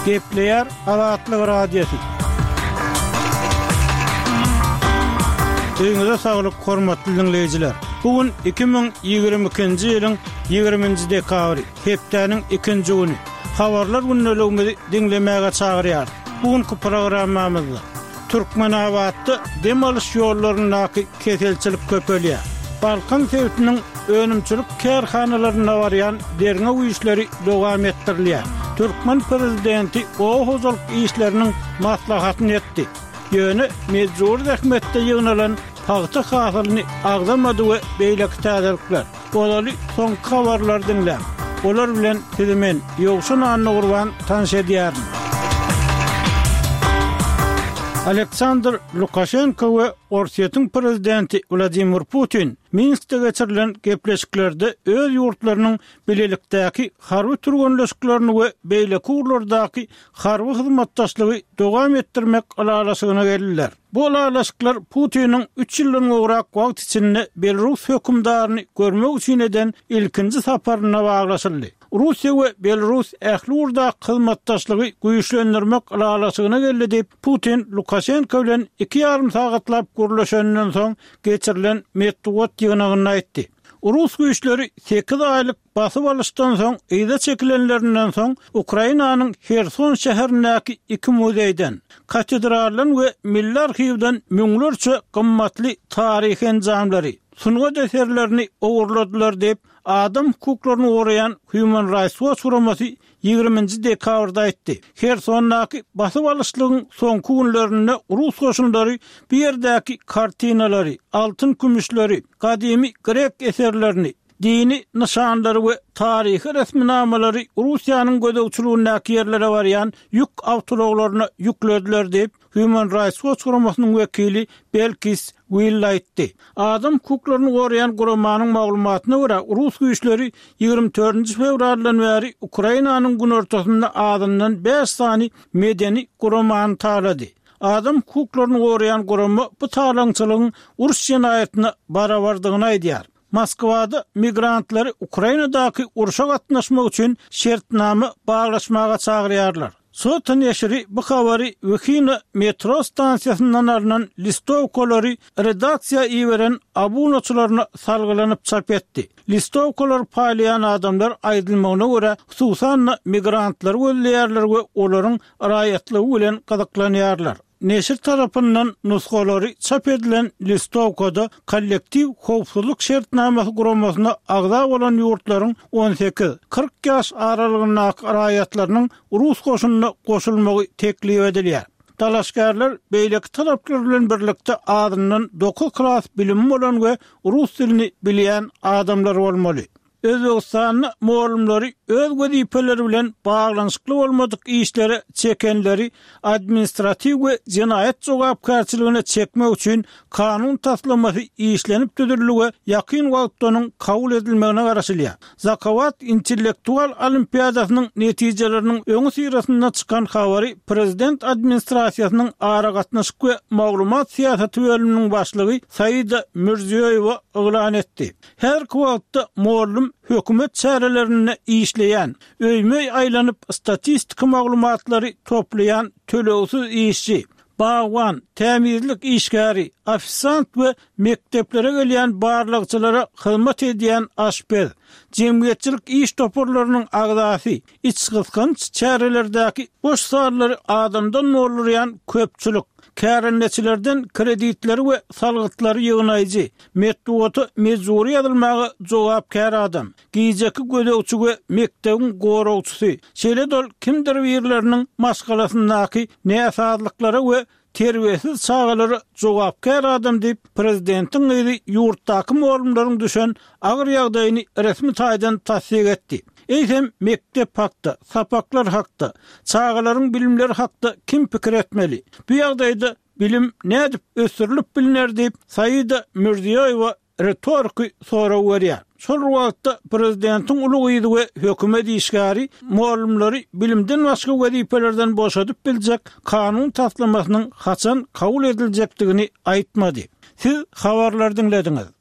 Gepleýär Azatlyk Radiosy. Öýüňize saglyk, hormatly diňleýjiler! Bu gün 2022-nji ýylyň 20-nji dekabry, hepdäniň ikinji güni. Habarlar gündeligimizi diňlemäge çagyrýarys. Bu günki programmamyzda Türkmenabatda dem alyş ýollaryndaky keselçilik köpelýär. Balkan sebitiniň önümçilik kärhanalarynda barýan derňew işleri dowam etdirilýär. Türkmen prezidenti oba hojalyk işleriniň maslahatyny etdi. Ýöne mejbury zähmetde ýygnalan pagta hasylyny agzamady we beýleki täzelikler. Ozaly soňky habarlary diňläň. Olar bilen sizi men, Ýowşan Annagurban tanyş edýärin. Aleksandr Lukaşenko we Orsýetiň prezidenti Wladimir Putin Minskde geçirilen gepleşiklerde öz ýurtlarynyň bilelikdäki harby türgenleşiklerini we beýleki ugurlardaky harby hyzmatdaşlygy dowam etdirmek ylalaşygyna geldiler. Bu ylalaşyklar Putiniň üç ýyldan gowrak wagt içinde belarus hökümdaryny görmek üçin eden ilkinji saparyna baglaşyldy. Russiýa we Belarus ähli ugurdaky hyzmatdaşlygy güýçlendirmek ylalaşygyna geldi diýip, Putin Lukaşenko bilen iki ýarym sagatlap gürleşeninden soň geçirilen metbugat ýygnagynda aýtdy. Rus güýçleri sekiz aýlyk basyp alyşdan soň yza çekilenlerinden soň Ukrainanyň Herson şäherindäki iki muzeýden, katedraldan we milli arhiwden müňlerçe gymmatly taryhy enjamlary, sungat eserlerini ogurladylar diýip, adam hukuklaryny goraýan Human Rights Watch guramasy ýigriminji dekabrda aýtdy. Hersondaky basyp alyşlygyň soňky günlerinde rus goşunlary bu ýerdäki kartinalary, altyn-kümüşleri, gadymy grek eserlerini, dini nyşanlary we taryhy resminamalary Russiýanyň gözegçiligindäki ýerlere barýan ýük awtoulaglaryna ýüklediler diýip, Human Rights Watch guramasynyň wekili Belkis Will aýtdy. Adam hukuklaryny goraýan guramanyň maglumatyna görä, rus güýçleri 24-nji fewraldan bäri Ukrainanyň günortasynda azyndan bäş sany medeni guramany talady. Adam hukuklaryny goraýan gurama bu talaňçylygyň uruş jenaýatyna barabardygyny aýdýar. Moskwada migrantlary Ukrainadaky urşa gatnaşmak üçin şertnama baglaşmaga çagyrýarlar. Sota neşiri bu habary Wihina metro stansiýasyndan alnan listowkalary redaksiýa iberen abunaçylaryna salgylanyp çap etdi. Listowkalary paýlaýan adamlar, aýdylmagyna görä, hususan-da, migrantlary gözleýärler we olaryň raýatlygy bilen gyzyklanýarlar. Neşir tarapyndan nusgalary çap edilen listowkada Kollektiw howpsuzlyk şertnamasy guramasyna agza bolan ýurtlaryň on sekiz, 40 ýaş aralygyndaky raýatlarynyň rus goşunyna goşulmagy teklip edilýär. Dalaşgärler beýleki talaplar bilen birlikde azyndan dokuz klas bilimi bolan we rus dilini bilýän adamlar bolmaly. Özbegistanda mugallymlary öz wezipeleri bilen baglanyşykly bolmadyk işlere çekenleri administratiw we jenaýat jogapkärçiligine çekmek üçin kanun taslamasy işlenip düzüldi we ýakyn wagtda onuň kabul edilmegine garaşylýar. Zakawat intellektual olimpiadasynyň netijeleriniň öňüsyrasynda çykan habary prezident administrasiýasynyň aragatnaşyk we maglumat syýasaty bölüminiň başlygy Saida Mirziýoýewa yglan etdi. Häzirki wagtda mugallym hökümet çärelerinde işleýän, öýme-öý aýlanyp statistiki maglumatlary toplaýan tölegsiz işçi, bagban, tämizlik işgäri, ofisiant we mekdeplere gelýän barlagçylara hyzmat edýän aşpez, jemgyýetçilik iş toparlarynyň agzasy, içgysgynç çärelerdäki boş zallary adamdan doldurýan köpçülik, kärendeçilerden kreditleri we salgytlary ýygnaýjy, metbugata mejbury ýazylmaga jogapkär adam, gijeki gözegçi we mekdebiň goragçysy, şeýle-de ol kimdir birleriniň maşgalasyndaky näsazlyklara we terbiýesiz çagalara jogapkär adam diýip, prezidentiň gyzy ýurtdaky mugallymlaryň düşen agyr ýagdaýyny resmi taýdan tassyk etdi. Eýsem, mekdep hakda, sapaklar hakda, çagalaryň bilimleri hakda kim pikir etmeli? Bu ýagdaýda bilim nädip ösdürilip bilner diýip, Saida Mirziýoýewa ritoriki sorag berýär. Şol bir wagtda, prezidentiň uly gyzy we hökümet işgäri mugallymlary bilimden başga wezipelerden boşadyp biljek kanun taslamasynyň haçan kabul ediljekdigini aýtmady. Siz habarlary diňlediňiz.